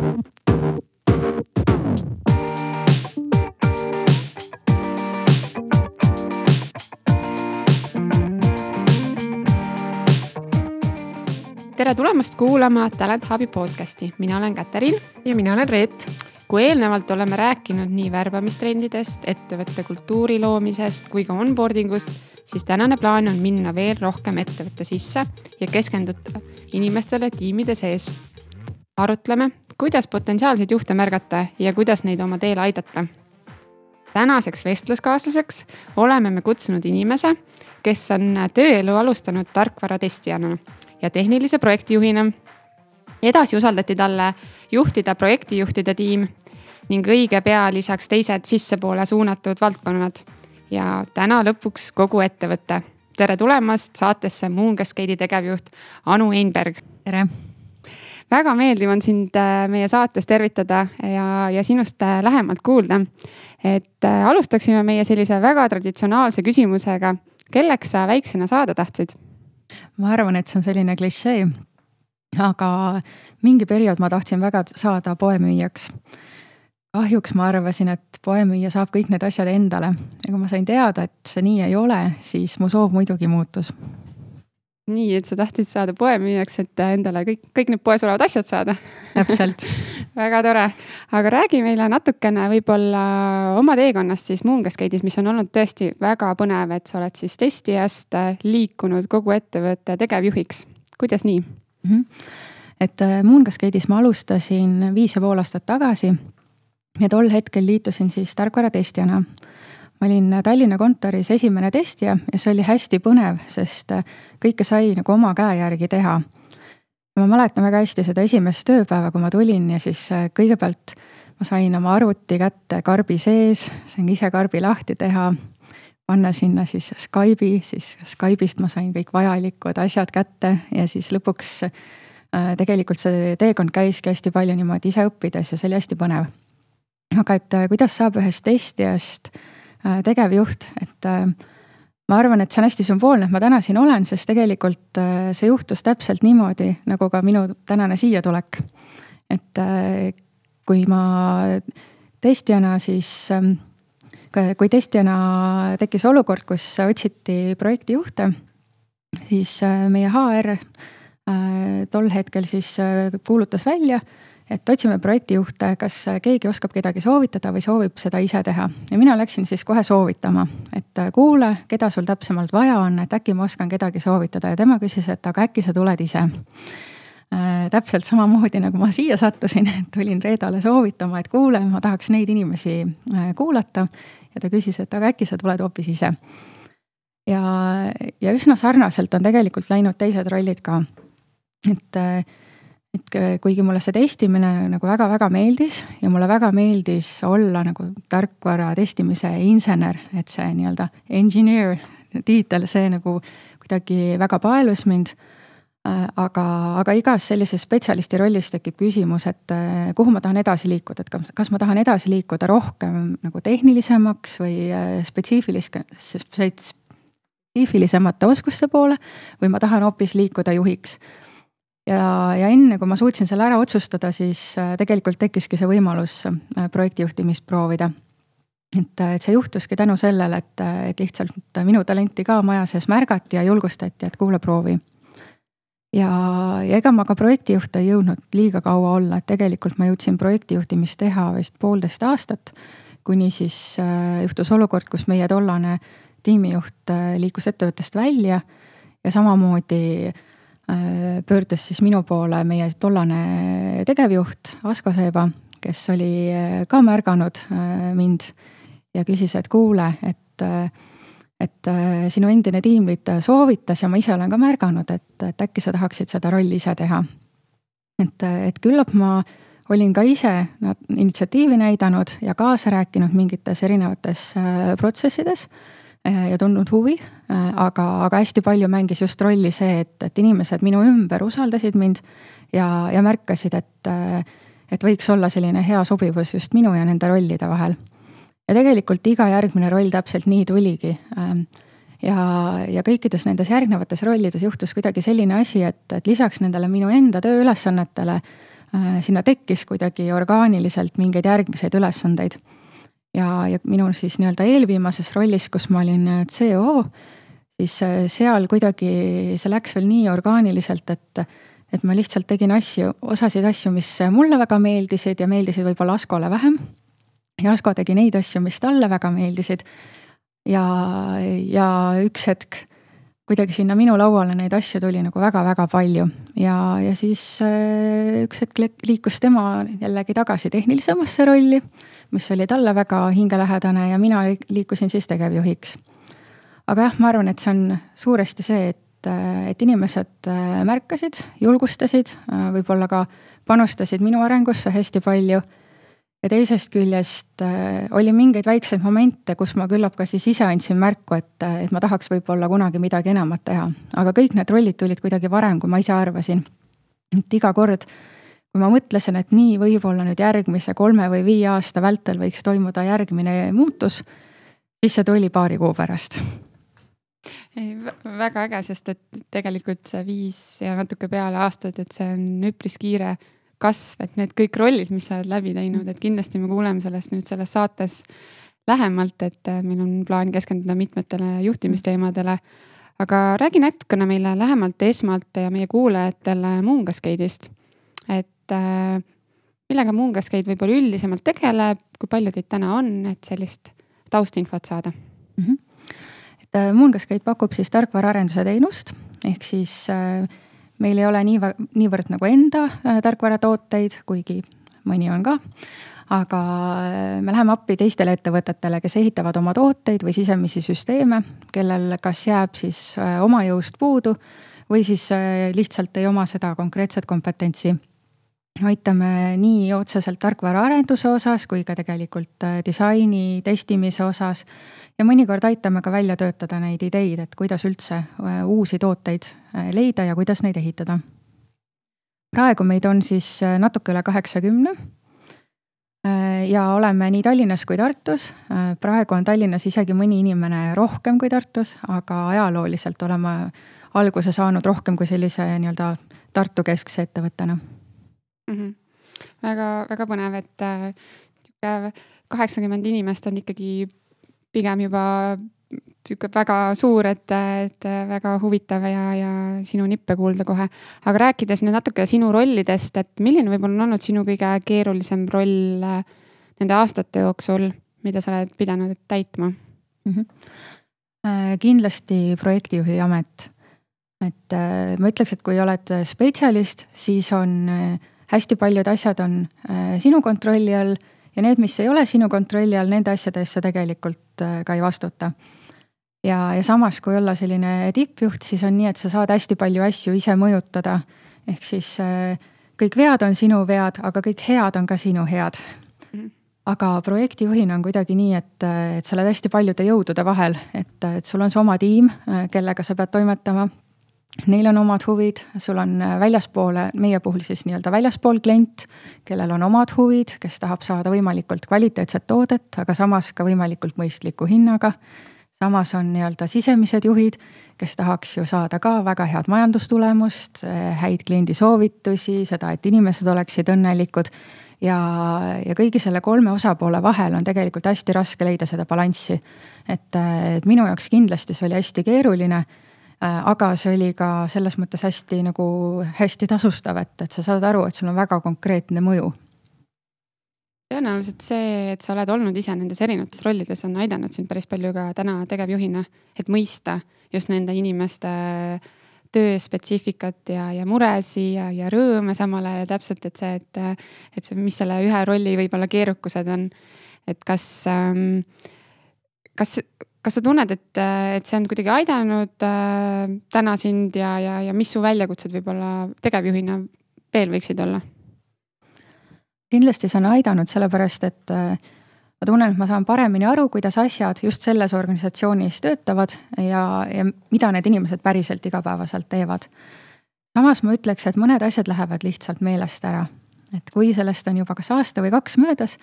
Tere tulemast kuulama Talent Hubi podcasti. Mina olen Katariin. Ja mina olen Reet. Kui eelnevalt oleme rääkinud nii värbamistrendidest, ettevõtte kultuuri loomisest kui ka onboardingust, siis tänane plaan on minna veel rohkem ettevõtte sisse ja keskenduda inimestele tiimide sees. Arutleme, kuidas potentsiaalseid juhte märgata ja kuidas neid oma teel aidata. Tänaseks vestluskaaslaseks oleme me kutsunud inimese, kes on tööelu alustanud tarkvaratestijana ja tehnilise projektijuhina. Edasi usaldati talle juhtida projektijuhtide tiim ning õige pea lisaks teised sissepoole suunatud valdkonnad. Ja täna lõpuks kogu ettevõtte. Tere tulemast saatesse Moongascade'i tegevjuht Anu Einberg. Tere! Väga meeldiv on sind meie saates tervitada ja sinust lähemalt kuulda. Et alustaksime meie sellise väga traditsionaalse küsimusega. Kelleks sa väiksena saada tahtsid? Ma arvan, et see on selline klišee, aga mingi periood ma tahtsin väga saada poemüüjaks. Kahjuks ma arvasin, et poemüüja saab kõik need asjad endale. Ja kui ma sain teada, et see nii ei ole, siis mu soov muidugi muutus. Nii, et sa tahtsid saada poemüüjaks, et endale kõik need poes olevad asjad saada. Täpselt. Väga tore. Aga räägi meile natukene võib-olla oma teekonnast siis Moongascade'is, mis on olnud tõesti väga põnev, et sa oled siis testijast liikunud kogu ettevõtte tegevjuhiks. Kuidas nii? Et Moongascade'is ma alustasin 5,5 aastat tagasi ja tol hetkel liitusin siis tarkvaratestijana. Ma olin Tallinna kontoris esimene testija ja see oli hästi põnev, sest kõike sai nagu oma käe järgi teha. Ma mäletan väga hästi seda esimest tööpäeva, kui ma tulin ja siis kõigepealt ma sain oma arvuti kätte karbi sees, sain ise karbi lahti teha, panna sinna siis Skype'i, siis Skype'ist ma sain kõik vajalikud asjad kätte ja siis lõpuks tegelikult see teekond käiski hästi palju niimoodi ise õppides ja see oli hästi põnev. Aga et kuidas saab ühest testijast tegevjuht, et ma arvan, et see on hästi sümboolne, et ma täna siin olen, sest tegelikult see juhtus täpselt niimoodi, nagu ka minu tänane siia tulek. Et kui ma testijana siis, kui testijana tekkis olukord, kus otsiti projektijuhte, siis meie HR tol hetkel siis kuulutas välja, et otsime projektijuhte, kas keegi oskab kedagi soovitada või soovib seda ise teha. Ja mina läksin siis kohe soovitama, et kuule, keda sul täpsemalt vaja on, et äkki ma oskan kedagi soovitada. Ja tema küsis, et aga äkki sa tuled ise. Täpselt samamoodi, nagu ma siia sattusin, et tulin Reedale soovitama, et kuule, ma tahaks neid inimesi kuulata. Ja ta küsis, et aga äkki sa tuled hoopis ise. Ja üsna sarnaselt on tegelikult läinud teised rollid ka. Et kuigi mulle see testimine nagu väga-väga meeldis ja mulle väga meeldis olla nagu tarkvara testimise insener, et see nii-öelda engineer tiitel, see nagu kuidagi väga paelus mind, aga igas sellises spetsialisti rollis tekib küsimus, et kuhu ma tahan edasi liikuda, et kas ma tahan edasi liikuda rohkem nagu tehnilisemaks või spetsiifilisemate oskuste poole või ma tahan hoopis liikuda juhiks. Ja enne, kui ma suutsin selle ära otsustada, siis tegelikult tekkiski see võimalus projektijuhtimist proovida. Et see juhtuski tänu sellele, et lihtsalt minu talenti ka maja sees märgati ja julgustati, et kuule proovi. Ja ega ma ka projektijuht ei jõudnud liiga kaua olla, et tegelikult ma jõudsin projektijuhtimist teha vist 1,5 aastat, kuni siis juhtus olukord, kus meie tollane tiimijuht liikus ettevõttest välja ja samamoodi pöördus siis minu poole meie tollane tegevjuht Asko Seeba, kes oli ka märganud mind ja küsis, et kuule, et sinu endine tiimliit soovitas ja ma ise olen ka märganud, et äkki sa tahaksid seda rolli ise teha. Et küllap ma olin ka ise initsiatiivi näidanud ja kaasa rääkinud mingites erinevates protsessides ja tundnud huvi, aga hästi palju mängis just rolli see, et inimesed minu ümber usaldasid mind ja märkasid, et võiks olla selline hea sobivus just minu ja nende rollide vahel. Ja tegelikult iga järgmine roll täpselt nii tuligi. Ja kõikides nendes järgnevates rollides juhtus kuidagi selline asi, et lisaks nendele minu enda tööülesannetele sinna tekkis kuidagi orgaaniliselt mingeid järgmiseid ülesandeid. Ja minu siis nii-öelda eelviimases rollis, kus ma olin CO, siis seal kuidagi see läks veel nii orgaaniliselt, et ma lihtsalt tegin osasid asju, mis mulle väga meeldisid ja meeldisid võib-olla Askole vähem. Ja Asko tegi neid asju, mis talle väga meeldisid. Ja üks hetk kuidagi sinna minu lauale neid asju tuli nagu väga-väga palju. Ja siis üks hetk liikus tema jällegi tagasi tehnilisemasse rolli, mis oli talle väga hingelähedane ja mina liikusin siis tegevjuhiks. Aga jah, ma arvan, et see on suuresti see, et inimesed märkasid, julgustasid, võib-olla ka panustasid minu arengusse hästi palju. Ja teisest küljest oli mingeid väikseid momente, kus ma küllap ka siis ise andsin märku, et ma tahaks võib-olla kunagi midagi enamat teha. Aga kõik need rollid tulid kuidagi varem, kui ma ise arvasin. Et iga kord, kui ma mõtlesin, et nii võib-olla nüüd järgmise 3 või 5 aasta vältel võiks toimuda järgmine muutus, siis see tuli paari kuu pärast. Väga äge, sest et tegelikult see 5 ja natuke peale aastad, et see on üpris kiire kasv, et need kõik rollid, mis sa oled läbi teinud, et kindlasti me kuuleme sellest nüüd selles saates lähemalt, et meil on plaan keskenduda mitmetele juhtimisteemadele. Aga räägi natukene meile lähemalt esmalt ja meie kuulajatele Moongascade'ist. Et millega Moongascade võib-olla üldisemalt tegeleb, kui palju teid täna on, et sellist taustinfot saada? Et Moongascade pakub siis tarkvaraarenduse teenust, ehk siis meil ei ole niivõrd nagu enda tarkvaratooteid, kuigi mõni on ka, aga me läheme appi teistele ettevõtetele, kes ehitavad oma tooteid või sisemisi süsteeme, kellel kas jääb siis oma jõust puudu või siis lihtsalt ei oma seda konkreetset kompetentsi. Aitame nii otseselt tarkvaraarenduse osas kui ka tegelikult disaini, testimise osas ja mõnikord aitame ka välja töötada neid ideid, et kuidas üldse uusi tooteid leida ja kuidas neid ehitada. Praegu meid on siis natuke üle 80 ja oleme nii Tallinnas kui Tartus. Praegu on Tallinnas isegi mõni inimene rohkem kui Tartus, aga ajalooliselt oleme alguse saanud rohkem kui sellise nii-öelda Tartu keskse ettevõttena. Väga, väga põnev, et 80 inimest on ikkagi pigem juba väga suur, et väga huvitav ja sinu nippe kuulda kohe. Aga rääkides nüüd natuke sinu rollidest, et milline võib-olla on olnud sinu kõige keerulisem roll nende aastate jooksul, mida sa oled pidanud täitma? Kindlasti projektijuhi amet. Et ma ütleks, et kui oled spetsialist, siis on hästi paljud asjad on sinu kontrolli all ja need, mis ei ole sinu kontrolli all, nende asjadest sa tegelikult ka ei vastuta. Ja samas, kui olla selline tippjuht, siis on nii, et sa saad hästi palju asju ise mõjutada. Ehk siis kõik vead on sinu vead, aga kõik head on ka sinu head. Aga projektijuhina on kuidagi nii, et sa oled hästi paljude jõudude vahel, et sul on see oma tiim, kellega sa pead toimetama. Neil on omad huvid, sul on väljaspoole, meie puhul siis nii-öelda väljaspool klient, kellel on omad huvid, kes tahab saada võimalikult kvaliteetset toodet, aga samas ka võimalikult mõistliku hinnaga. Samas on nii-öelda sisemised juhid, kes tahaks ju saada ka väga head majandustulemust, häid kliendi soovitusi, seda, et inimesed oleksid õnnelikud ja kõigi selle 3 osapoole vahel on tegelikult hästi raske leida seda balanssi. Et minu jaoks kindlasti see oli hästi keeruline, aga see oli ka selles mõttes hästi tasustav, et sa saad aru, et sul on väga konkreetne mõju. Tõenäoliselt see, et sa oled olnud ise nendes erinevates rollides, on aidanud sind päris palju ka täna tegevjuhina, et mõista just nende inimeste töö spetsiifikat ja muresi ja rõõme samal ajal täpselt, et see, mis selle ühe rolli võib-olla keerukused on, et kas sa tunned, et see on kuidagi aidanud täna sind ja mis su väljakutsed võib-olla tegevjuhina veel võiksid olla? Kindlasti see on aidanud sellepärast, et ma tunnen, et ma saan paremini aru, kuidas asjad just selles organisatsioonis töötavad ja mida need inimesed päriselt igapäevaselt teevad. Samas ma ütleks, et mõned asjad lähevad lihtsalt meelest ära. Et kui sellest on juba kas aasta või 2 möödas,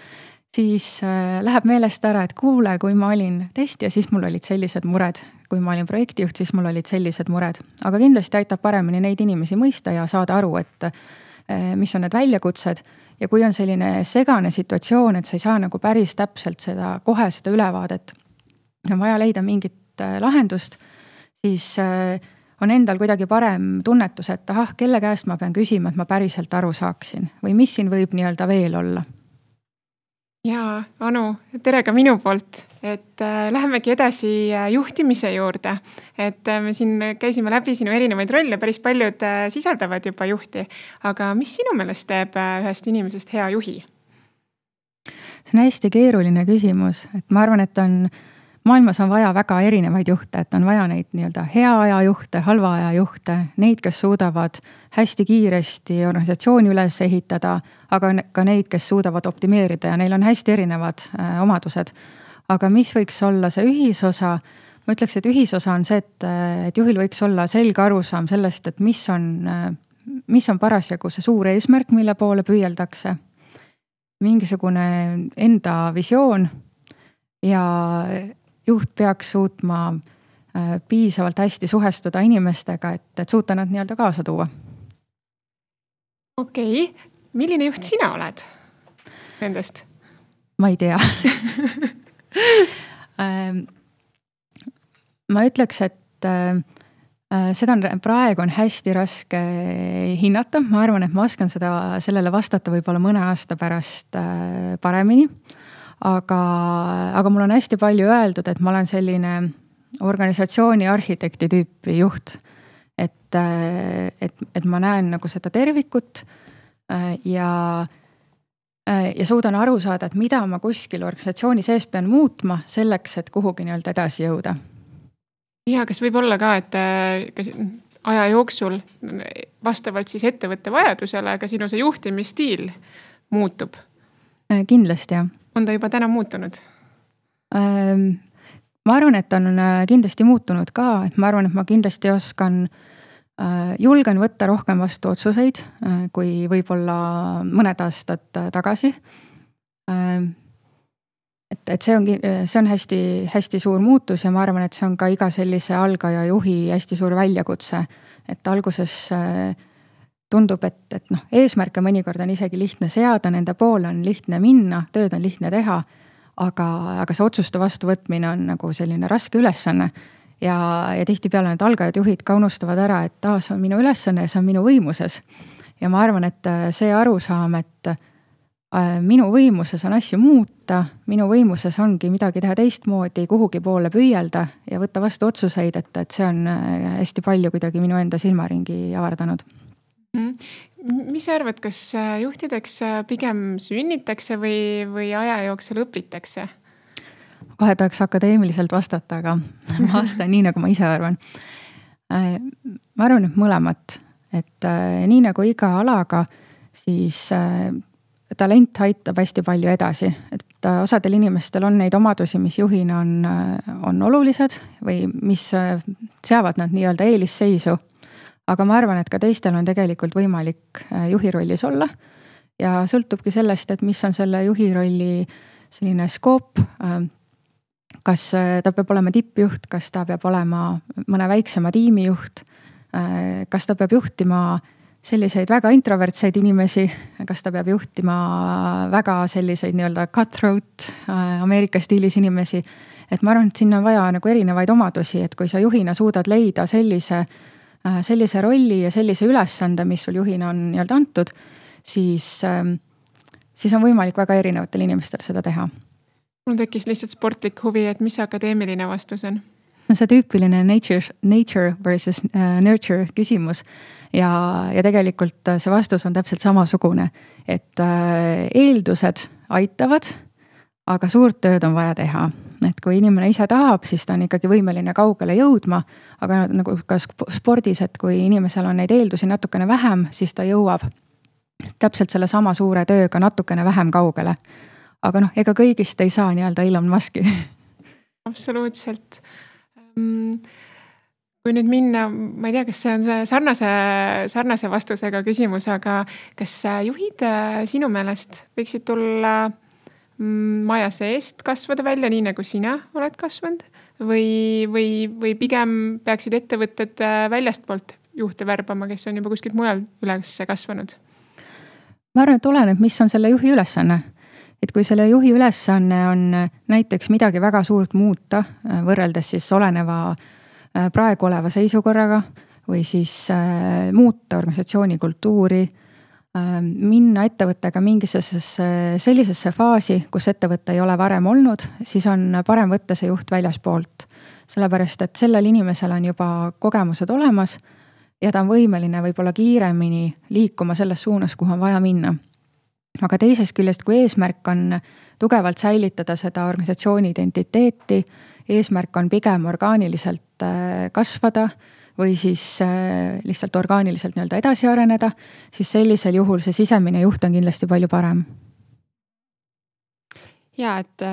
siis läheb meelest ära, et kuule, kui ma olin testija, siis mul olid sellised mured. Kui ma olin projektijuht, siis mul olid sellised mured. Aga kindlasti aitab paremini neid inimesi mõista ja saada aru, et mis on need väljakutsed ja kui on selline segane situatsioon, et sa ei saa nagu päris täpselt kohe seda ülevaadet, on vaja leida mingit lahendust, siis on endal kuidagi parem tunnetus, et kelle käest ma pean küsima, et ma päriselt aru saaksin või mis siin võib nii-öelda veel olla. Jaa, Anu, tere ka minu poolt, et lähemegi edasi juhtimise juurde, et me siin käisime läbi sinu erinevaid rolle, päris paljud sisaldavad juba juhti, aga mis sinu meelest teeb ühest inimesest hea juhi? See on hästi keeruline küsimus, et ma arvan, et maailmas on vaja väga erinevaid juhte, et on vaja neid nii-öelda hea aja juhte, halva aja juhte, neid, kes suudavad hästi kiiresti organisatsiooni üles ehitada, aga ka neid, kes suudavad optimeerida ja neil on hästi erinevad omadused. Aga mis võiks olla see ühisosa? Ma ütleks, et ühisosa on see, et juhil võiks olla selge arusaam sellest, et mis on parasjagu see suur eesmärk, mille poole püüeldakse. Mingisugune enda visioon ja juht peaks suutma piisavalt hästi suhestuda inimestega, et suuta nad nii-öelda kaasa tuua. Okei. Milline juht sina oled nendest? Ma ei tea. Ma ütleks, et praegu on hästi raske hinnata. Ma arvan, et ma oskan sellele vastata võib-olla mõne aasta pärast paremini. Aga mul on hästi palju öeldud, et ma olen selline organisatsiooni arhitekti tüüpi juht. Et ma näen nagu seda tervikut ja suudan aru saada, et mida ma kuskil organisatsiooni sees pean muutma selleks, et kuhugi nii-öelda edasi jõuda. Ja kas võib olla ka, et aja jooksul vastavalt siis ettevõtte vajadusele, ka sinu see juhtimisstiil muutub? Kindlasti, jah. On ta juba täna muutunud? Ma arvan, et on kindlasti muutunud ka, et ma arvan, et ma kindlasti julgen võtta rohkem vastu otsuseid, kui võib-olla mõned aastad tagasi. Et see on hästi, hästi suur muutus ja ma arvan, et see on ka iga sellise algaja juhi hästi suur väljakutse, et alguses tundub, et eesmärke mõnikord on isegi lihtne seada, nende poole on lihtne minna, tööd on lihtne teha, aga see otsuste vastuvõtmine on nagu selline raske ülesanne ja tihtipeale need algajad juhid ka unustavad ära, et see on minu ülesanne ja see on minu võimuses. Ja ma arvan, et see arusaam, et minu võimuses on asju muuta, minu võimuses ongi midagi teha teistmoodi, kuhugi poole püüelda ja võtta vastu otsuseid, et see on hästi palju kuidagi minu enda silmaringi avardanud. Mis arvad, kas juhtideks pigem sünnitakse või aja jooksul õpitakse? Kohe tahaks akadeemiliselt vastata, aga ma vastan nii, nagu ma ise arvan. Ma arvan, et mõlemat. Et nii nagu iga alaga, siis talent aitab hästi palju edasi. Et osadel inimestel on neid omadusi, mis juhina on olulised või mis seavad nad nii-öelda eelisseisu. Aga ma arvan, et ka teistel on tegelikult võimalik juhi rollis olla ja sõltubki sellest, et mis on selle juhi rolli selline skoop, kas ta peab olema tippjuht, kas ta peab olema mõne väiksema tiimijuht, kas ta peab juhtima selliseid väga introvertseid inimesi, kas ta peab juhtima väga selliseid nii-öelda cutthroat Ameerika stiilis inimesi, et ma arvan, et sinna on vaja nagu erinevaid omadusi, et kui sa juhina suudad leida sellise rolli ja sellise ülesande, mis sul juhina on nii-öelda antud, siis on võimalik väga erinevatel inimestel seda teha. Mul tekkis lihtsalt sportlik huvi, et mis akadeemiline vastus on? See tüüpiline nature versus nurture küsimus ja tegelikult see vastus on täpselt samasugune, et eeldused aitavad, aga suurt tööd on vaja teha. Et kui inimene ise tahab, siis ta on ikkagi võimeline kaugele jõudma, aga nagu ka spordis, et kui inimesel on neid eeldusi natukene vähem, siis ta jõuab täpselt selle sama suure tööga natukene vähem kaugele. Aga ega kõigist ei saa nii-öelda Elon Muski. Absoluutselt. Kui nüüd minna, ma ei tea, kas see on see sarnase vastusega küsimus, aga kas juhid sinu meelest võiksid tulla maja seest kasvada välja, nii nagu sina oled kasvanud või pigem peaksid ettevõtted väljastpoolt juhte värbama, kes on juba kuskilt mujal üles kasvanud? ma arvan, et oleneb, mis on selle juhi ülesanne. Et kui selle juhi ülesanne on näiteks midagi väga suurt muuta, võrreldes siis oleneva praegu oleva seisukorraga või siis muuta organisatsiooni kultuuri, minna ettevõttega mingisesse sellisesse faasi, kus ettevõte ei ole varem olnud, siis on parem võtta see juht väljaspoolt. Sellepärast, et sellel inimesel on juba kogemused olemas ja ta on võimeline võib-olla kiiremini liikuma selles suunas, kuhu on vaja minna. Aga teisest küljest, kui eesmärk on tugevalt säilitada seda organisatsiooni identiteeti, eesmärk on pigem orgaaniliselt kasvada või siis lihtsalt orgaaniliselt nii-öelda edasi areneda, siis sellisel juhul see sisemine juht on kindlasti palju parem. Ja, et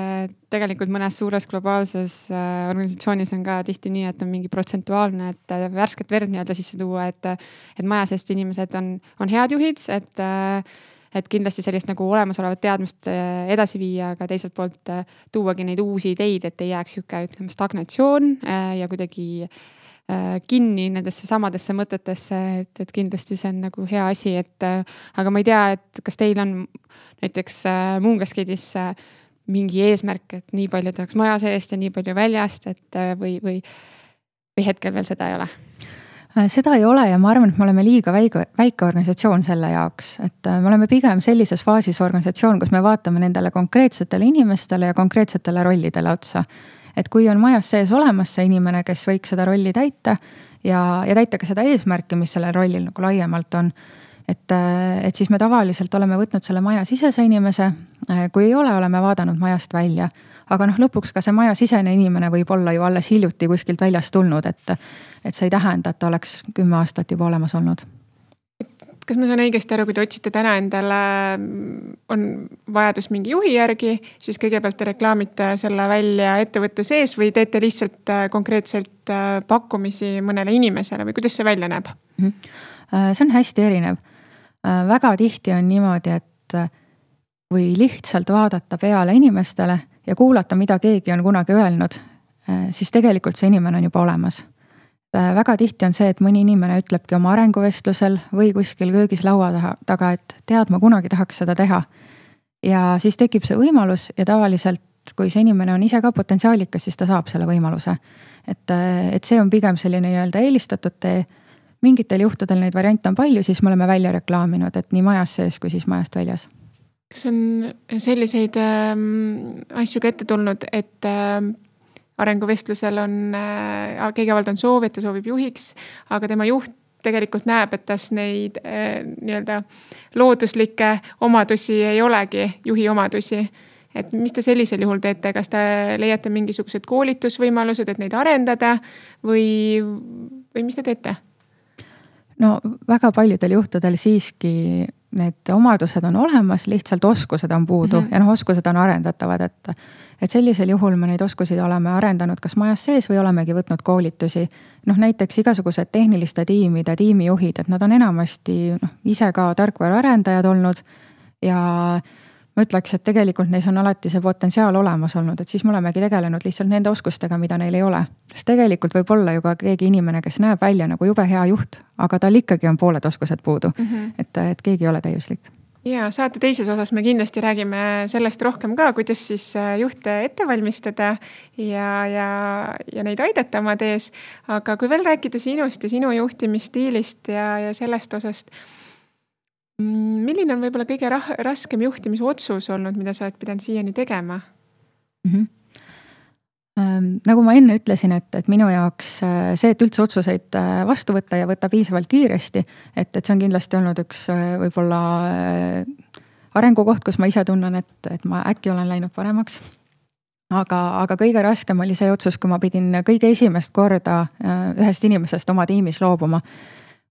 tegelikult mõnes suures globaalses organisatsioonis on ka tihti nii, et on mingi protsentuaalne, et värsket verd nii-öelda sisse tuua, et maja seest inimesed on head juhid, et kindlasti sellist nagu olemasolevat teadmist edasi viia, aga teiselt poolt tuuagi neid uusi ideid, et ei jääks ütleme stagnatsioon ja kuidagi kinni nendesse samadesse mõtetesse, et kindlasti see on nagu hea asi, aga ma ei tea, et kas teil on näiteks Moongascade'is mingi eesmärk, et nii palju tahaks maja seest ja nii palju väljast, et või hetkel veel seda ei ole? Seda ei ole ja ma arvan, et me oleme liiga väike organisatsioon selle jaoks, et me oleme pigem sellises faasis organisatsioon, kus me vaatame nendele konkreetsetele inimestele ja konkreetsetele rollidele otsa. Et kui on majas sees olemas see inimene, kes võiks seda rolli täita ja täita ka seda eesmärki, mis sellel rollil nagu laiemalt on, et siis me tavaliselt oleme võtnud selle maja sisese inimese, kui ei ole, oleme vaadanud majast välja. Aga lõpuks ka see maja sisene inimene võib olla ju alles hiljuti kuskilt väljast tulnud, et see ei tähenda, et ta oleks 10 aastat juba olemas olnud. Kas ma saan õigesti aru, kui te otsite täna endale, on vajadus mingi juhi järgi, siis kõigepealt te reklaamite selle välja ettevõtte sees või teete lihtsalt konkreetselt pakkumisi mõnele inimesele või kuidas see välja näeb? See on hästi erinev. Väga tihti on niimoodi, et või lihtsalt vaadata peale inimestele ja kuulata, mida keegi on kunagi öelnud, siis tegelikult see inimene on juba olemas. Väga tihti on see, et mõni inimene ütlebki oma arenguvestlusel või kuskil köögis laua taga, et tead, ma kunagi tahaks seda teha. Ja siis tekib see võimalus ja tavaliselt, kui see inimene on ise ka potentsiaalikas, siis ta saab selle võimaluse. Et see on pigem selline nii-öelda eelistatud tee. Mingitel juhtudel neid variante on palju, siis me oleme välja reklaaminud, et nii majas sees kui siis majast väljas. Kas on selliseid asju ka ette tulnud, et arenguvestlusel on kõigepealt on soov, et ta soovib juhiks, aga tema juht tegelikult näeb, et tas neid nii-öelda looduslikke omadusi ei olegi, juhi omadusi. Et mis te sellisel juhul teete? Kas te leiate mingisugused koolitusvõimalused, et neid arendada või mis te teete? No väga paljudel juhtudel siiski need omadused on olemas, lihtsalt oskused on puudu ja oskused on arendatavad, et sellisel juhul me neid oskusi oleme arendanud kas majas sees või olemegi võtnud koolitusi. Näiteks igasugused tehniliste tiimide tiimijuhid, et nad on enamasti ise ka tarkvara arendajad olnud ja ma ütleks, et tegelikult neis on alati see potentsiaal olemas olnud, et siis me olemegi tegelenud lihtsalt nende oskustega, mida neil ei ole. Sest tegelikult võib olla ju ka keegi inimene, kes näeb välja nagu jube hea juht, aga tal ikkagi on pooled oskused puudu, et keegi ei ole täiuslik. Ja saate teises osas me kindlasti räägime sellest rohkem ka, kuidas siis juhte ette valmistada ja neid aidata oma tees. Aga kui veel rääkida sinust ja sinu juhtimisstiilist ja sellest osast, milline on võib-olla kõige raskem juhtimisotsus olnud, mida sa oled pidanud siiani tegema? Nagu ma enne ütlesin, et minu jaoks see, et üldse otsuseid vastu võtta ja võtta piisavalt kiiresti, et see on kindlasti olnud üks võib-olla arengukoht, kus ma ise tunnen, et ma äkki olen läinud paremaks. Aga kõige raskem oli see otsus, kui ma pidin kõige esimest korda ühest inimesest oma tiimis loobuma.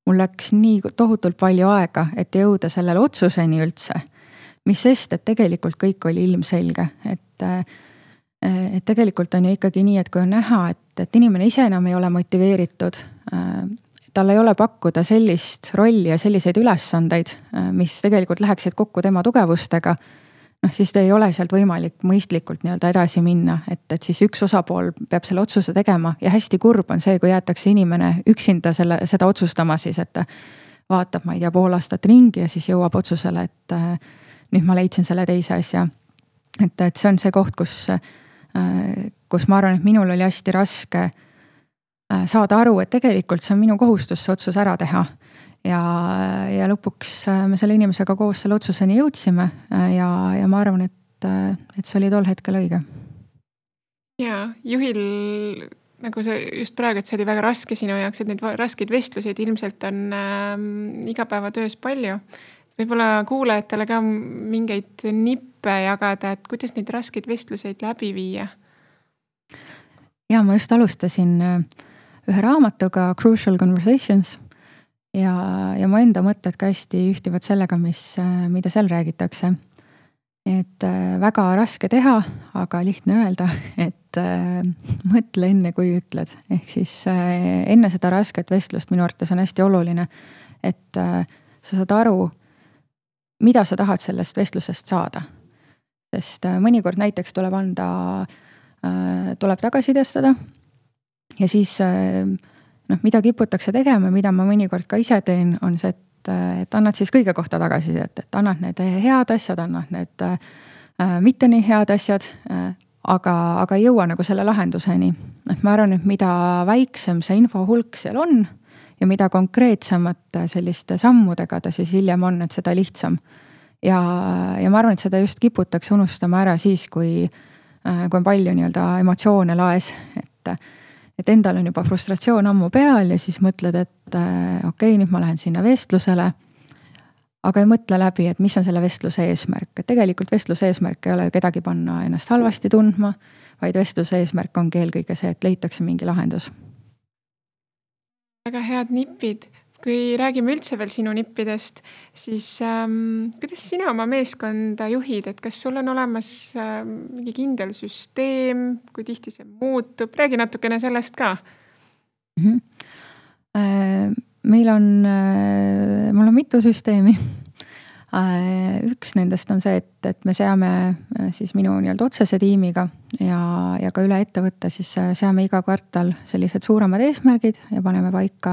Mul läks nii tohutult palju aega, et jõuda sellele otsuseni üldse, mis sest, et tegelikult kõik oli ilmselge, et tegelikult on ju ikkagi nii, et kui on näha, et inimene ise enam ei ole motiveeritud, tal ei ole pakkuda sellist rolli ja selliseid ülesandeid, mis tegelikult läheksid kokku tema tugevustega, siis ei ole sealt võimalik mõistlikult nii-öelda edasi minna, et siis üks osapool peab selle otsuse tegema ja hästi kurb on see, kui jäetakse inimene üksinda seda otsustama siis, et vaatab, ma ei tea, pool aastat ringi ja siis jõuab otsusele, et nüüd ma leidsin selle teise asja. Et see on see koht, kus ma arvan, et minul oli hästi raske saada aru, et tegelikult see on minu kohustus see otsus ära teha. Ja lõpuks me selle inimesega koos selle otsuseni jõudsime ja ma arvan, et see oli tol hetkel õige. Ja juhil, nagu sa just praegu, et see oli väga raske sinu jaoks, et neid raskeid vestluseid ilmselt on igapäevatöös palju. Võib-olla kuulajatele ka mingeid nippe jagada, et kuidas neid raskeid vestluseid läbi viia? Ja ma just alustasin ühe raamatuga Crucial Conversations ja mu enda mõtted ka hästi ühtivad sellega, mida seal räägitakse. Et väga raske teha, aga lihtne öelda, et mõtle enne, kui ütled. Ehk siis enne seda rasket vestlust minu arvates on hästi oluline, et sa saad aru, mida sa tahad sellest vestlusest saada. Sest mõnikord näiteks tuleb tagasisidestada ja siis mida kiputakse tegema, mida ma mõnikord ka ise teen, on see, et annad siis kõige kohta tagasisidet, et annad need head asjad, annad need mitte nii head asjad, aga ei jõua nagu selle lahenduseni. Et ma arvan, et mida väiksem see info hulk seal on ja mida konkreetsemate selliste sammudega ta siis hiljem on, et seda lihtsam. Ja ma arvan, et seda just kiputakse unustama ära siis, kui on palju nii-öelda emotsioone laes, et endal on juba frustratsioon ammu peal ja siis mõtled, et okei, nüüd ma lähen sinna vestlusele, aga ei mõtle läbi, et mis on selle vestluse eesmärk. Et tegelikult vestluse eesmärk ei ole ju kedagi panna ennast halvasti tundma, vaid vestluse eesmärk ongi eelkõige see, et leitakse mingi lahendus. Väga head nipid. Kui räägime üldse veel sinu nippidest, siis kuidas sina oma meeskonda juhid, et kas sul on olemas mingi kindel süsteem, kui tihti see muutub? Räägi natukene sellest ka. Mul on mitu süsteemi. Üks nendest on see, et me seame siis minu nii-öelda otsese tiimiga ja ka üle ettevõtte, siis seame iga kvartal sellised suuremad eesmärgid ja paneme paika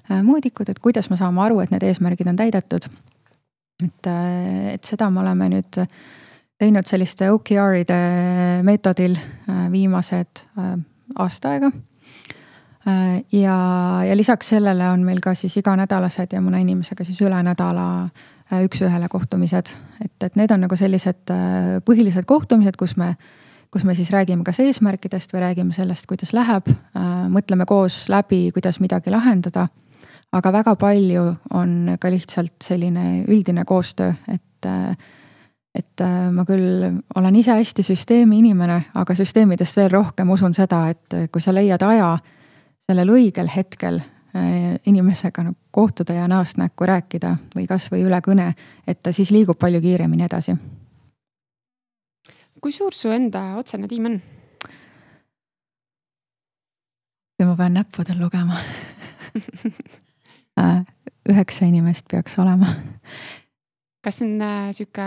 mõõdikud, et kuidas me saame aru, et need eesmärgid on täidetud. Et seda me oleme nüüd teinud selliste OKR-ide meetodil viimased aasta aega. Ja lisaks sellele on meil ka siis iganädalased ja mõne inimesega siis üle nädala üks-ühele kohtumised. Et need on nagu sellised põhilised kohtumised, kus me siis räägime kas eesmärkidest või räägime sellest, kuidas läheb, mõtleme koos läbi, kuidas midagi lahendada. Aga väga palju on ka lihtsalt selline üldine koostöö, et ma küll olen ise hästi süsteemi inimene, aga süsteemidest veel rohkem usun seda, et kui sa leiad aja sellel õigel hetkel inimesega kohtuda ja näost näkku rääkida või kas või üle kõne, et ta siis liigub palju kiiremini edasi. Kui suur su enda otsene tiim on? Ja ma pean näppudel lugema. 9 inimest peaks olema. Kas see on siuke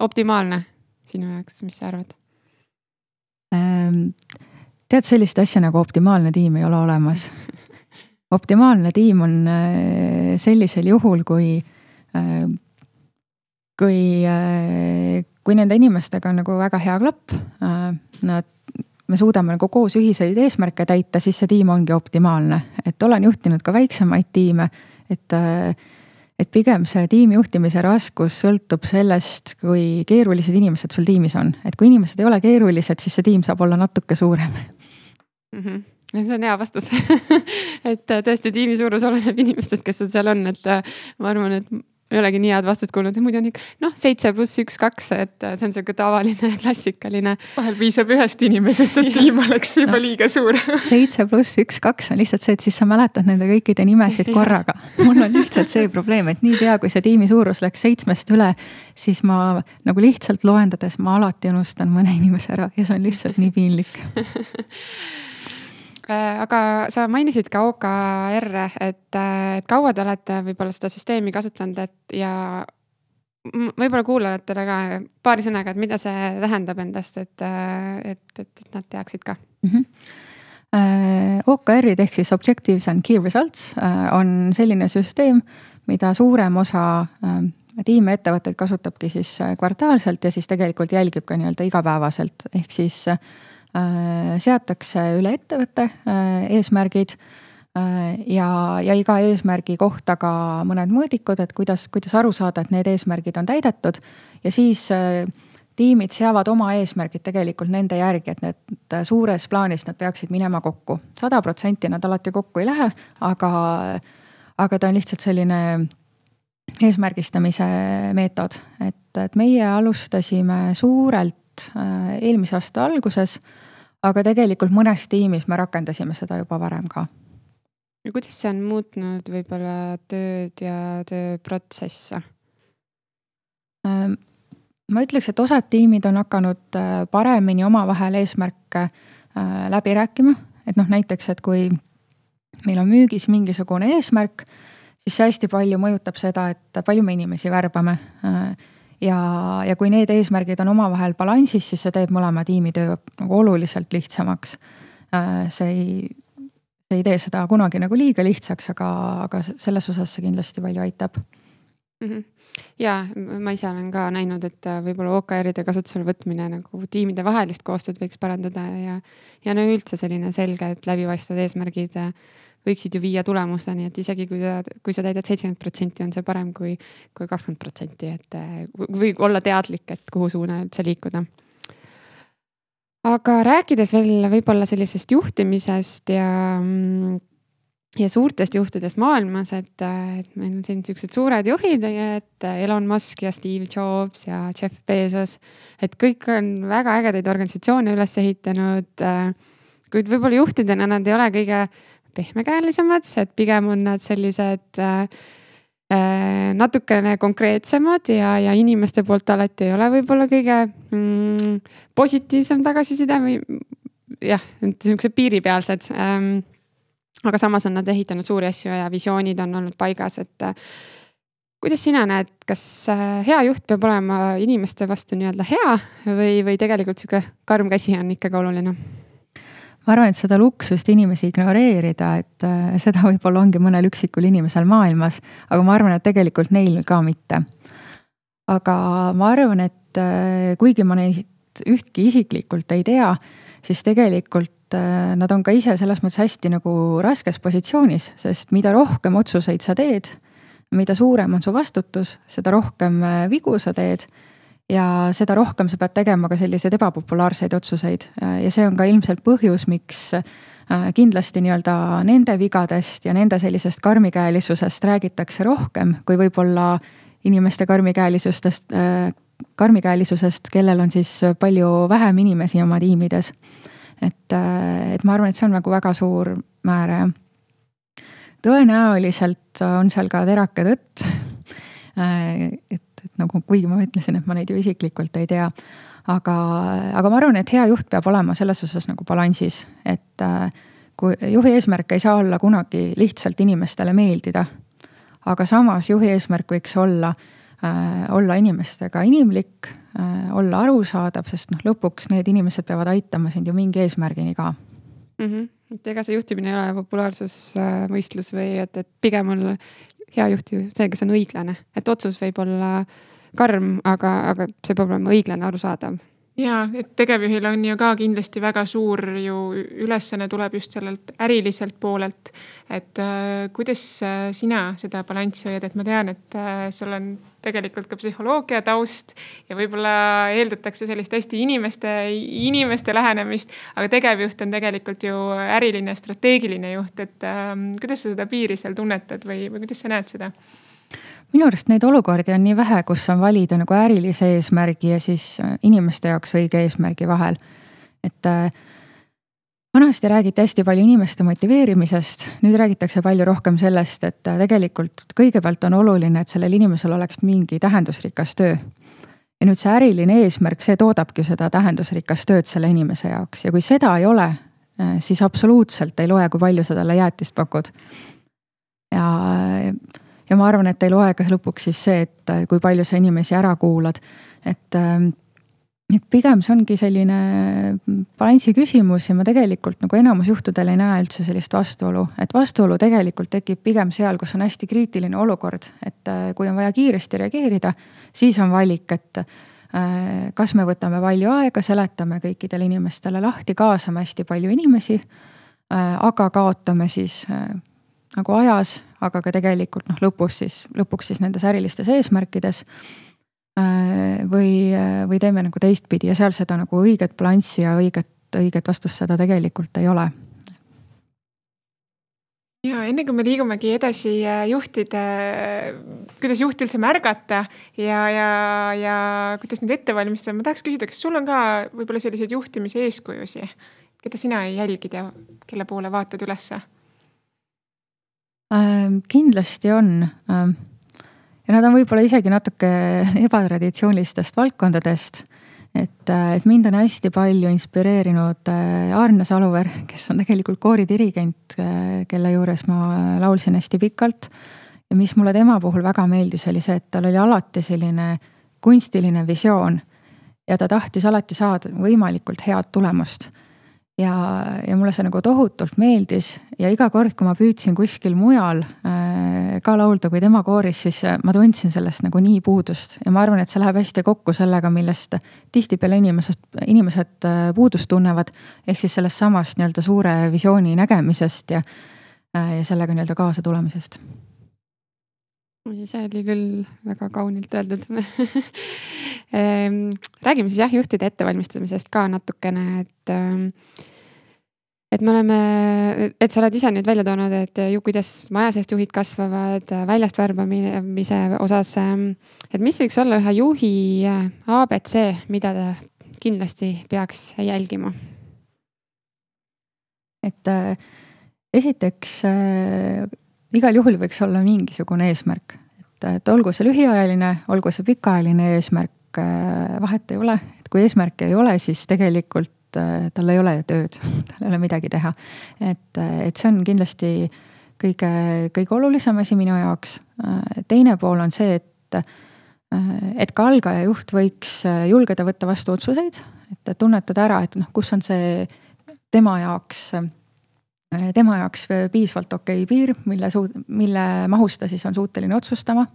optimaalne sinu jaoks, mis sa arvad? Tead, sellist asja nagu optimaalne tiim ei ole olemas. Optimaalne tiim on sellisel juhul, kui nende inimestega on nagu väga hea klapp, me suudame nagu koos ühiseid eesmärke täita, siis see tiim ongi optimaalne. Et olen juhtinud ka väiksemaid tiime, et pigem see tiimi juhtimise raskus sõltub sellest, kui keerulised inimesed sul tiimis on. Et kui inimesed ei ole keerulised, siis see tiim saab olla natuke suurem. See on hea vastus. Et tõesti tiimi suurus oleneb inimestest, kes seal on. Et ma arvan, et ei olegi nii head vastust kuulnud, et muidu on 7 + 1, 2, et see on selline tavaline, klassikaline. Vahel piisab ühest inimesest, et tiim oleks juba liiga suur. 7 + 1, 2 on lihtsalt see, et siis sa mäletad nende kõikide nimesid korraga. Mul on lihtsalt see probleem, et nii pea, kui see tiimi suurus läks 7 üle, siis ma nagu lihtsalt loendades ma alati unustan mõne inimese ära ja see on lihtsalt nii piinlik. Aga sa mainisid ka OKR, et kaua te olete võib-olla seda süsteemi kasutanud, ja võib-olla kuulajatele ka paari sõnaga, et mida see tähendab endast, et nad teaksid ka. OKR-id ehk siis Objectives and Key Results on selline süsteem, mida suurem osa tiimettevõtteid kasutabki siis kvartaalselt ja siis tegelikult jälgib ka nii-öelda igapäevaselt, ehk siis seatakse üle ettevõtte eesmärgid ja iga eesmärgi kohta ka mõned mõõdikud, et kuidas aru saada, et need eesmärgid on täidetud ja siis tiimid seavad oma eesmärgid tegelikult nende järgi, et need suures plaanis nad peaksid minema kokku. 100% nad alati kokku ei lähe, aga ta on lihtsalt selline eesmärgistamise meetod, et meie alustasime suurelt eelmise aasta alguses, aga tegelikult mõnes tiimis me rakendasime seda juba varem ka. Ja kuidas see on muutnud võib-olla tööd ja tööprotsesse? Ma ütleks, et osad tiimid on hakanud paremini omavahel eesmärke läbi rääkima, et näiteks, et kui meil on müügis mingisugune eesmärk, siis see hästi palju mõjutab seda, et palju me inimesi värbame. Ja kui need eesmärgid on omavahel balansis, siis see teeb mõlema tiimi töö nagu oluliselt lihtsamaks. See ei tee seda kunagi nagu liiga lihtsaks, aga selles osas see kindlasti palju aitab. Ja ma ise olen ka näinud, et võib-olla OKR-ide kasutusele võtmine nagu tiimide vahelist koostööd võiks parandada ja üldse selline selge, et läbipaistvad eesmärgid võiksid ju viia tulemuseni, et isegi kui sa täidad 70%, on see parem kui 20%, et või olla teadlik, et kuhu suuna üldse liikuda. Aga rääkides veel võib-olla sellisest juhtimisest ja suurtest juhtidest maailmas, et meil on siin sellised suured juhid, et Elon Musk ja Steve Jobs ja Jeff Bezos, et kõik on väga ägedaid organisatsioone üles ehitanud, kuid võib-olla juhtidena nad ei ole kõige pehmekäelisemad, et pigem on nad sellised natukene konkreetsemad ja inimeste poolt alati ei ole võib-olla kõige positiivsem tagasiside või jah, niisugused piiripealsed. Aga samas on nad ehitanud suuri asju ja visioonid on olnud paigas, et kuidas sina näed, kas hea juht peab olema inimeste vastu nii-öelda hea või tegelikult siuke karm käsi on ikkagi oluline? Ma arvan, et seda luksust inimesi ignoreerida, et seda võib-olla ongi mõnel üksikul inimesel maailmas, aga ma arvan, et tegelikult neil ka mitte. Aga ma arvan, et kuigi ma neid ühtki isiklikult ei tea, siis tegelikult nad on ka ise selles mõttes hästi nagu raskes positsioonis, sest mida rohkem otsuseid sa teed, mida suurem on su vastutus, seda rohkem vigu sa teed ja seda rohkem sa pead tegema ka selliseid ebapopulaarseid otsuseid. Ja see on ka ilmselt põhjus, miks kindlasti nii-öelda nende vigadest ja nende sellisest karmikäelisusest räägitakse rohkem, kui võib-olla inimeste karmikäelisusest, kellel on siis palju vähem inimesi oma tiimides. Et ma arvan, et see on nagu väga suur määr. Tõenäoliselt on seal ka terake tõtt, et nagu kuigi ma ütlesin, et ma neid ju isiklikult ei tea, aga ma arvan, et hea juht peab olema selles osas nagu balansis, et kui juhi eesmärk ei saa olla kunagi lihtsalt inimestele meeldida, aga samas juhi eesmärk võiks olla inimestega inimlik, olla arusaadav, sest lõpuks need inimesed peavad aitama sind ju mingi eesmärgini ka. Et ega see juhtimine ei ole populaarsusvõistlus või et pigem on hea juhti see, kes on õiglane, et otsus võib olla karm, aga see peab olema õiglane, arusaadav. Ja, et tegevjuhil on ju ka kindlasti väga suur ju ülesanne tuleb just sellelt äriliselt poolelt, et kuidas sina seda balanssi hoiad, et ma tean, et sul on tegelikult ka psühholoogia taust ja võib-olla eeldatakse sellist hästi inimeste lähenemist, aga tegevjuht on tegelikult ju äriline, strateegiline juht, et kuidas sa seda piiri seal tunnetad või kuidas sa näed seda? Minu arust neid olukordi on nii vähe, kus on valida nagu ärilise eesmärgi ja siis inimeste jaoks õige eesmärgi vahel. Et vanasti räägiti hästi palju inimeste motiveerimisest, nüüd räägitakse palju rohkem sellest, et tegelikult kõigepealt on oluline, et sellel inimesel oleks mingi tähendusrikas töö. Ja nüüd see äriline eesmärk, see toodabki seda tähendusrikas tööd selle inimese jaoks ja kui seda ei ole, siis absoluutselt ei loe, kui palju sa talle jäätist pakud. Ja ma arvan, et ei loe ka lõpuks siis see, et kui palju sa inimesi ära kuulad. Et et pigem see ongi selline balansi küsimus ja ma tegelikult nagu enamus juhtudel ei näe üldse sellist vastuolu. Et vastuolu tegelikult tekib pigem seal, kus on hästi kriitiline olukord. Et kui on vaja kiiresti reageerida, siis on valik, et kas me võtame palju aega, seletame kõikidele inimestele lahti, kaasame hästi palju inimesi, aga kaotame siis nagu ajas, aga ka tegelikult lõpuks siis nendes ärilistes eesmärkides või teeme nagu teistpidi ja seal seda nagu õiget balanssi ja õiget vastust seda tegelikult ei ole. Ja enne kui me liigumegi edasi kuidas juhti üldse märgata ja kuidas neid ette valmistada, ma tahaks küsida, kas sul on ka võib-olla selliseid juhtimise eeskujusi, keda sina jälgid ja kelle poole vaatad ülesse? Kindlasti on. Ja nad on võib-olla isegi natuke ebatraditsioonilistest valdkondadest. Et mind on hästi palju inspireerinud Arne Saluver, kes on tegelikult kooridirigent, kelle juures ma laulsin hästi pikalt. Ja mis mulle tema puhul väga meeldis, oli see, et tal oli alati selline kunstiline visioon ja ta tahtis alati saada võimalikult head tulemust. Ja mulle see nagu tohutult meeldis ja iga kord, kui ma püüdsin kuskil mujal ka laulda kui tema kooris, siis ma tundsin sellest nagu nii puudust. Ja ma arvan, et see läheb hästi kokku sellega, millest tihtipeale inimesed puudust tunnevad, ehk siis sellest samast nii-öelda suure visiooni nägemisest ja sellega nii-öelda kaasa tulemisest. See oli küll väga kaunilt öeldud. Räägime siis juhtide ettevalmistamisest ka natukene, et sa oled ise nüüd välja toonud, et kuidas maja seest juhid kasvavad, väljast värbamise osas, et mis võiks olla ühe juhi ABC, mida ta kindlasti peaks jälgima? Et esiteks igal juhul võiks olla mingisugune eesmärk, et olgu see lühiajaline, olgu see pikaajaline eesmärk, vahet ei ole, et kui eesmärk ei ole, siis tegelikult tal ei ole ju tööd, tal ei ole midagi teha. Et see on kindlasti kõige olulisem asi minu jaoks. Teine pool on see, et ka algaja juht võiks julgeda võtta vastu otsuseid, et tunnetada ära, et kus on see tema jaoks piisvalt okei piir, mille mahus ta siis on suuteline otsustama.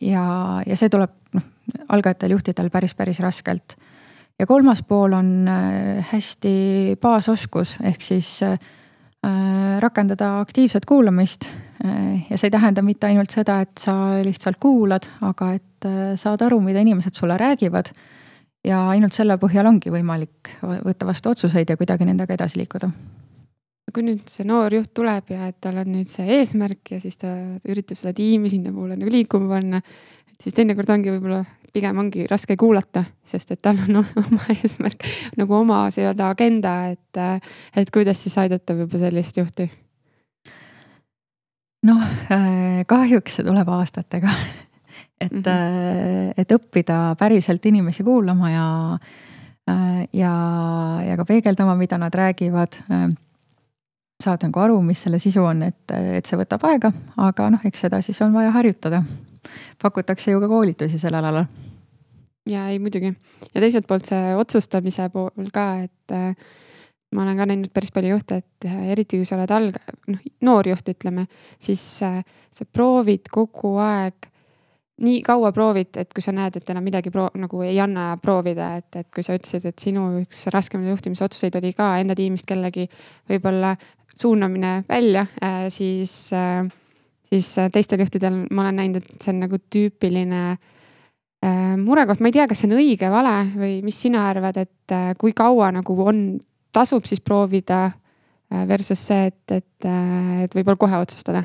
Ja see tuleb algajatel juhtidel päris raskelt. Ja kolmas pool on hästi baasoskus, ehk siis rakendada aktiivset kuulamist. Ja see ei tähenda mitte ainult seda, et sa lihtsalt kuulad, aga et saad aru, mida inimesed sulle räägivad. Ja ainult selle põhjal ongi võimalik võtta vastu otsuseid ja kuidagi nendega edasi liikuda. Kui nüüd see noor juht tuleb ja et tal on nüüd see eesmärk ja siis ta üritab seda tiimi sinna poole nagu liikuma panna, et siis teinekord ongi võib-olla pigem ongi raske kuulata, sest et tal on oma eesmärk, nagu oma seda agenda, et kuidas siis aidata võib-olla sellist juhti? Kahjuks see tuleb aastatega, et õppida päriselt inimesi kuulama ja ka peegeldama, mida nad räägivad, saad nagu aru, mis selle sisu on, et see võtab aega, aga eks seda siis on vaja harjutada. Pakutakse ju ka koolitusi sellel alal. Ja ei muidugi. Ja teiselt poolt see otsustamise pool ka, et ma olen ka näinud päris palju juhte, et eriti kui sa oled noor juht, ütleme, siis sa proovid kogu aeg, nii kaua proovid, et kui sa näed, et enam midagi nagu ei anna proovida, et kui sa ütlesid, et sinu üks raskemaid juhtimise otsuseid oli ka enda tiimist kellegi võib-olla suunamine välja, siis teistel juhtidel ma olen näinud, et see on nagu tüüpiline murekoht. Ma ei tea, kas see on õige vale või mis sina arvad, et kui kaua nagu tasub siis proovida versus see, et võib-olla kohe otsustada?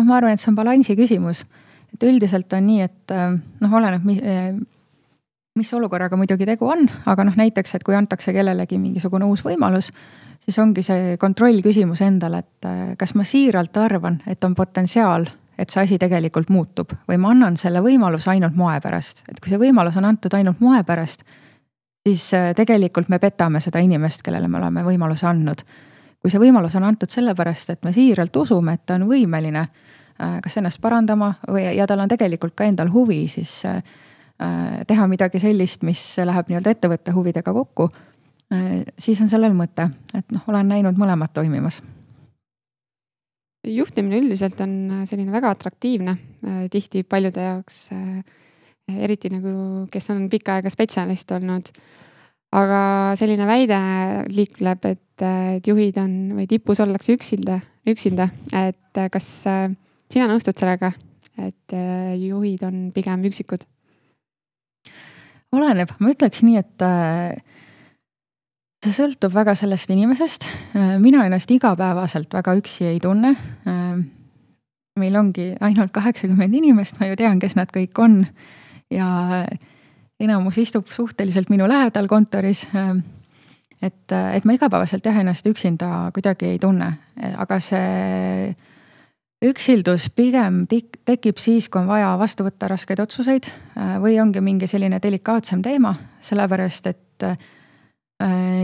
Ma arvan, et see on balansi küsimus. Et üldiselt on nii, et oleneb, mis olukorraga muidugi tegu on, aga näiteks, et kui antakse kellelegi mingisugune uus võimalus, siis ongi see kontroll küsimus endale, et kas ma siiralt arvan, et on potentsiaal, et see asi tegelikult muutub või ma annan selle võimaluse ainult moe pärast. Et kui see võimalus on antud ainult moe pärast, siis tegelikult me petame seda inimest, kellele me oleme võimaluse andnud. Kui see võimalus on antud sellepärast, et me siiralt usume, et ta on võimeline kas ennast parandama ja tal on tegelikult ka endal huvi, siis teha midagi sellist, mis läheb nii-öelda ettevõtte huvidega kokku, siis on sellel mõte, et olen näinud mõlemad toimimas. Juhtimine üldiselt on selline väga atraktiivne, tihti paljude jaoks, eriti nagu, kes on pikka aega spetsialist olnud. Aga selline väide liikleb, et juhid on või tipus ollakse üksilda, et kas sina nõustud sellega, et juhid on pigem üksikud? Oleneb, ma ütleks nii, et see sõltub väga sellest inimesest. Mina ennast igapäevaselt väga üksi ei tunne. Meil ongi ainult 80 inimest, ma ju tean, kes nad kõik on. Ja enamus istub suhteliselt minu lähedal kontoris. Et ma igapäevaselt ennast üksinda kuidagi ei tunne. Aga see üksildus pigem tekib siis, kui on vaja vastu võtta raskeid otsuseid või ongi mingi selline delikaatsem teema, sellepärast, et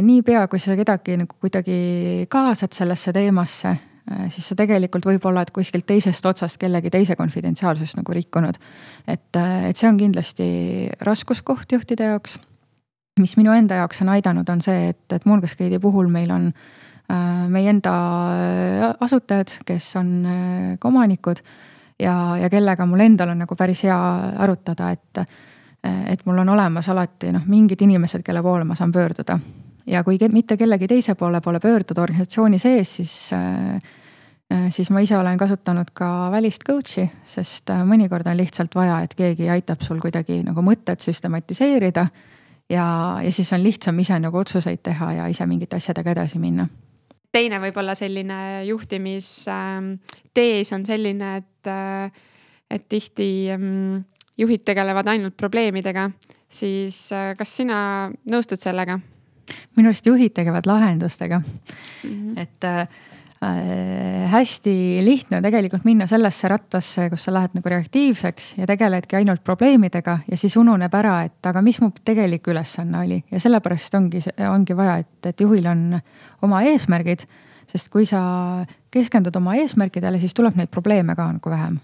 niipea, kui sa kedagi nagu kuidagi kaasad sellesse teemasse, siis sa tegelikult võib-olla kuskilt teisest otsast kellegi teise konfidentsiaalsust nagu rikkunud. Et see on kindlasti raskuskoht juhtide jaoks. Mis minu enda jaoks on aidanud, on see, et Moongascade'i puhul meil on meie enda asutajad, kes on ka omanikud ja kellega mul endal on nagu päris hea arutada, et mul on olemas alati mingid inimesed, kelle poole ma saan pöörduda. Ja kui mitte kellegi teise poole pöörduda organisatsiooni sees, siis ma ise olen kasutanud ka välist coachi, sest mõnikord on lihtsalt vaja, et keegi aitab sul kuidagi nagu mõtted süstematiseerida ja siis on lihtsam ise nagu otsuseid teha ja ise mingite asjadega edasi minna. Teine võib-olla selline juhtimistees on selline, et tihti juhid tegelevad ainult probleemidega, siis kas sina nõustud sellega? Minu arust juhid tegevad lahendustega. Et hästi lihtne on tegelikult minna sellesse rattasse, kus sa lähed nagu reaktiivseks ja tegeledki ainult probleemidega ja siis ununeb ära, et aga mis mu tegelik ülesanne oli. Ja sellepärast ongi vaja, et juhil on oma eesmärgid, sest kui sa keskendud oma eesmärkidele, siis tuleb neid probleeme ka nagu vähem.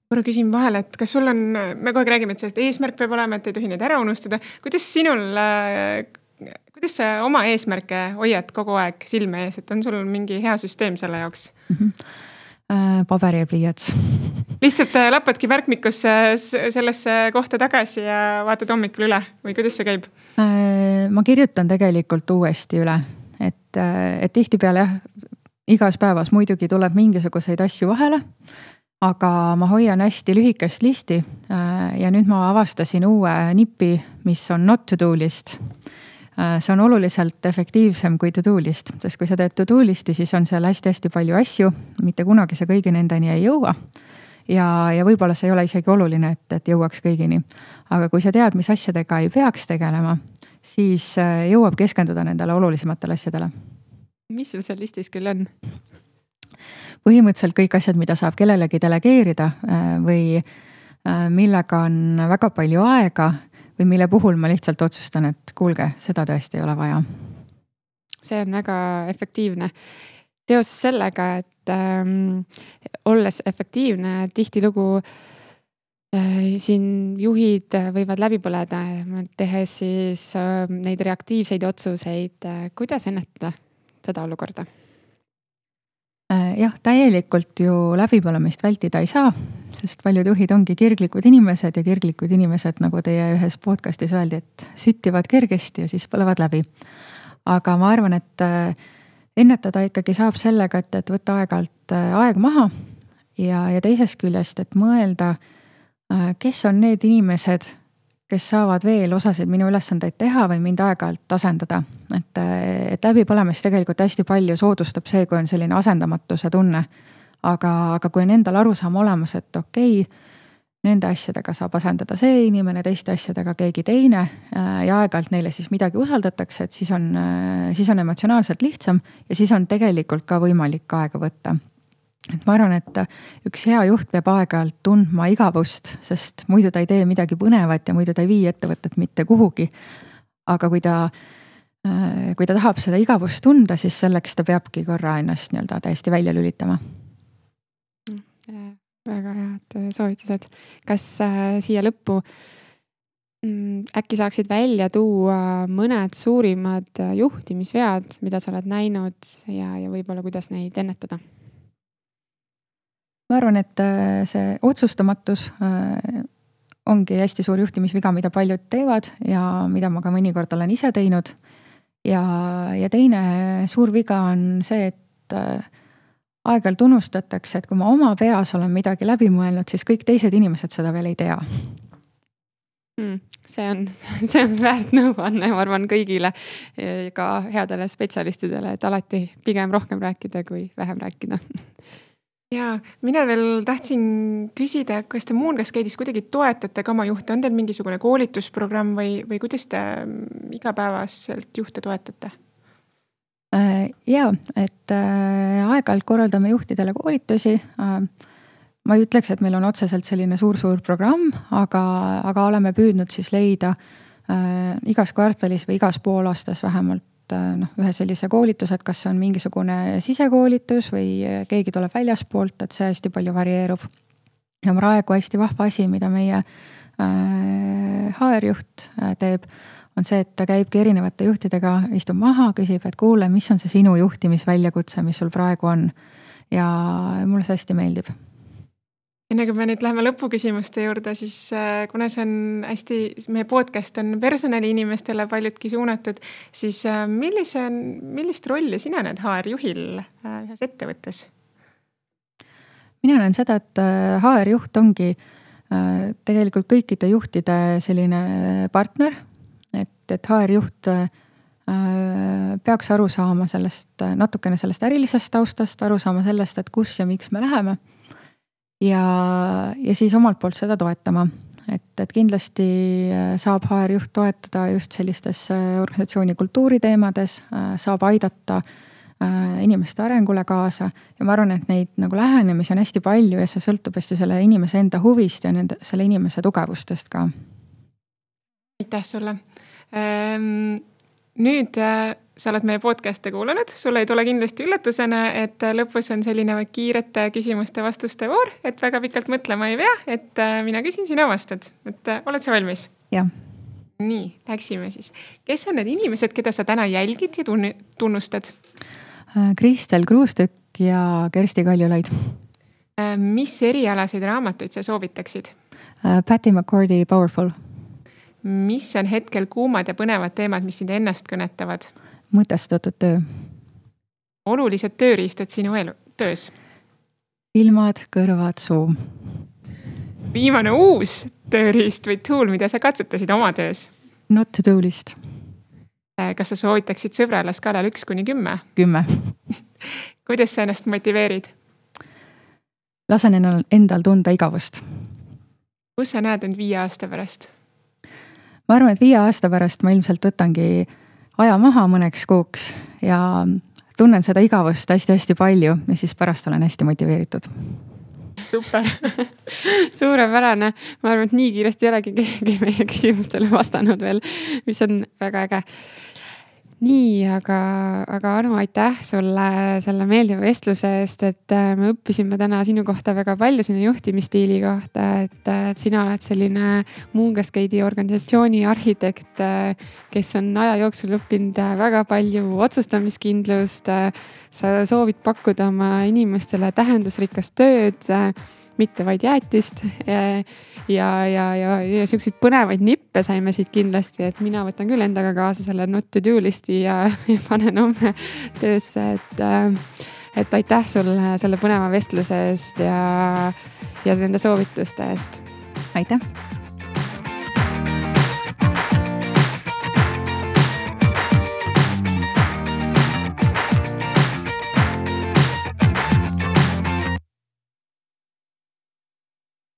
Korra küsin vahele, et kas sul on, me kogu aeg räägime, et sellest eesmärk peab olema, et ei tohi neid ära unustada. Kuidas sa oma eesmärke hoiad kogu aeg silme ees, et on sul mingi hea süsteem selle jaoks? Paber ja pliiats. Lihtsalt lappadki märkmikusse sellesse kohta tagasi ja vaatad hommikul üle või kuidas see käib? Ma kirjutan tegelikult uuesti üle, et tihtipeale igas päevas muidugi tuleb mingisuguseid asju vahele, aga ma hoian hästi lühikest listi ja nüüd ma avastasin uue nipi, mis on not to do list. See on oluliselt efektiivsem kui to do list, sest kui sa teed to do listi, siis on seal hästi palju asju, mitte kunagi sa kõigi nendeni ei jõua. Ja võib-olla see ei ole isegi oluline, et jõuaks kõigini. Aga kui sa tead, mis asjadega ei peaks tegelema, siis jõuab keskenduda nendele olulisematele asjadele. Mis sul seal listis küll on? Põhimõtteliselt kõik asjad, mida saab kellelegi delegeerida või millega on väga palju aega või mille puhul ma lihtsalt otsustan, et kuulge, seda tõesti ei ole vaja. See on väga efektiivne. Seoses sellega, et olles efektiivne, tihtilugu siin juhid võivad läbi põleda, tehes siis neid reaktiivseid otsuseid. Kuidas ennetada seda olukorda? Jah, täielikult ju läbipõlemist vältida ei saa, sest paljud juhid ongi kirglikud inimesed ja kirglikud inimesed, nagu teie ühes podcastis öeldi, et süttivad kergesti ja siis põlevad läbi. Aga ma arvan, et ennetada ikkagi saab sellega, et võtta aeg-alt aeg maha ja teisest küljest, et mõelda, kes on need inimesed, kes saavad veel osasid minu ülesandeid teha või mind aeg-alt asendada. Et läbipõlemist tegelikult hästi palju soodustab see, kui on selline asendamatuse tunne. Aga kui on endal arusaam olemas, et okei, nende asjadega saab asendada see inimene, teiste asjadega keegi teine ja aeg-alt neile siis midagi usaldatakse, et siis on emotsionaalselt lihtsam ja siis on tegelikult ka võimalik aega võtta. Et ma arvan, et üks hea juht peab aeg-ajalt tundma igavust, sest muidu ta ei tee midagi põnevat ja muidu ta ei vii ettevõtet mitte kuhugi. Aga kui ta tahab seda igavust tunda, siis selleks ta peabki korra ennast nii-öelda täiesti välja lülitama. Väga head soovitused. Kas siia lõppu äkki saaksid välja tuua mõned suurimad juhtimisvead, mida sa oled näinud ja võib-olla kuidas neid ennetada? Ma arvan, et see otsustamatus ongi hästi suur juhtimisviga, mida paljud teevad ja mida ma ka mõnikord olen ise teinud. Ja teine suur viga on see, et aeg-ajalt unustatakse, et kui ma oma peas olen midagi läbi mõelnud, siis kõik teised inimesed seda veel ei tea. See on väärt nõuanne, ma arvan kõigile, ka headele spetsialistidele, et alati pigem rohkem rääkida kui vähem rääkida. Ja mina veel tahtsin küsida, kas te Moongascade'is kuidagi toetate ka oma juhte, on teil mingisugune koolitusprogramm või kuidas te igapäevaselt juhte toetate? Jaa, et aeg-ajalt korraldame juhtidele koolitusi. Ma ei ütleks, et meil on otseselt selline suur programm, aga oleme püüdnud siis leida igas kvartalis või igas poolaastas vähemalt ühe sellise koolitus, et kas on mingisugune sisekoolitus või keegi tuleb väljaspoolt, et see hästi palju varieerub. Ja praegu hästi vahva asi, mida meie HR-juht teeb, on see, et ta käibki erinevate juhtidega, istub maha, küsib, et kuule, mis on see sinu juhtimisväljakutse, mis sul praegu on. Ja mulle see hästi meeldib. Enne kui me nüüd läheme lõpuküsimuste juurde, siis kuna see on hästi, meie podcast on personaliinimestele paljudki suunatud, siis millist rolli sina näed HR-juhil ühes ettevõttes? Mina näen seda, et HR-juht ongi tegelikult kõikide juhtide selline partner, et HR-juht peaks aru saama natukene sellest ärilisest taustast, aru saama sellest, et kus ja miks me läheme. Ja siis omalt poolt seda toetama, et kindlasti saab HR-juht toetada just sellistes organisatsiooni kultuuri teemades, saab aidata inimeste arengule kaasa ja ma arvan, et neid nagu lähenemisi on hästi palju ja see sõltub hästi selle inimese enda huvist ja selle inimese tugevustest ka. Aitäh sulle! Nüüd sa oled meie podcast'e kuulanud, sulle ei tule kindlasti üllatusena, et lõpus on selline kiirete küsimuste-vastuste voor, et väga pikalt mõtlema ei pea, et mina küsin, sina vastad. Et oled sa valmis? Jah. Nii, läksime siis. Kes on need inimesed, keda sa täna jälgid ja tunnustad? Kristel Kruustükk ja Kersti Kaljulaid. Mis erialaseid raamatuid sa soovitaksid? Patty McCordy Powerful. Mis on hetkel kuumad ja põnevad teemad, mis sind ennast kõnetavad? Mõtestatud töö. Olulised tööriistad sinu töös? Silmad, kõrvad, suu. Viimane uus tööriist või tool, mida sa katsetasid oma töös? Not to do list. Kas sa soovitaksid sõbrale skaalal 1–10? 10. Kuidas sa ennast motiveerid? Lasen endal tunda igavust. Kus sa näed end 5 aasta pärast? Ma arvan, et 5 aasta pärast ma ilmselt võtangi aja maha mõneks kuuks ja tunnen seda igavust hästi-hästi palju ja siis pärast olen hästi motiveeritud. Super. Suurepärane. Ma arvan, et nii kiiresti ei olegi keegi meie küsimustele vastanud veel, mis on väga äge. Nii, aga Anu, aitäh sulle selle meeldiva vestluse eest, et me õppisime täna sinu kohta väga palju sinu juhtimisstiili kohta, et sina oled selline Moongascade'i organisatsiooni arhitekt, kes on aja jooksul õppinud väga palju otsustamiskindlust, sa soovid pakkuda oma inimestele tähendusrikast tööd, mitte vaid jäätist ja selliseid põnevaid nippe saime siit kindlasti, et mina võtan küll endaga kaasa selle not to do listi ja panen homme töösse, et aitäh sulle selle põneva vestluse eest ja nende soovituste eest. Aitäh!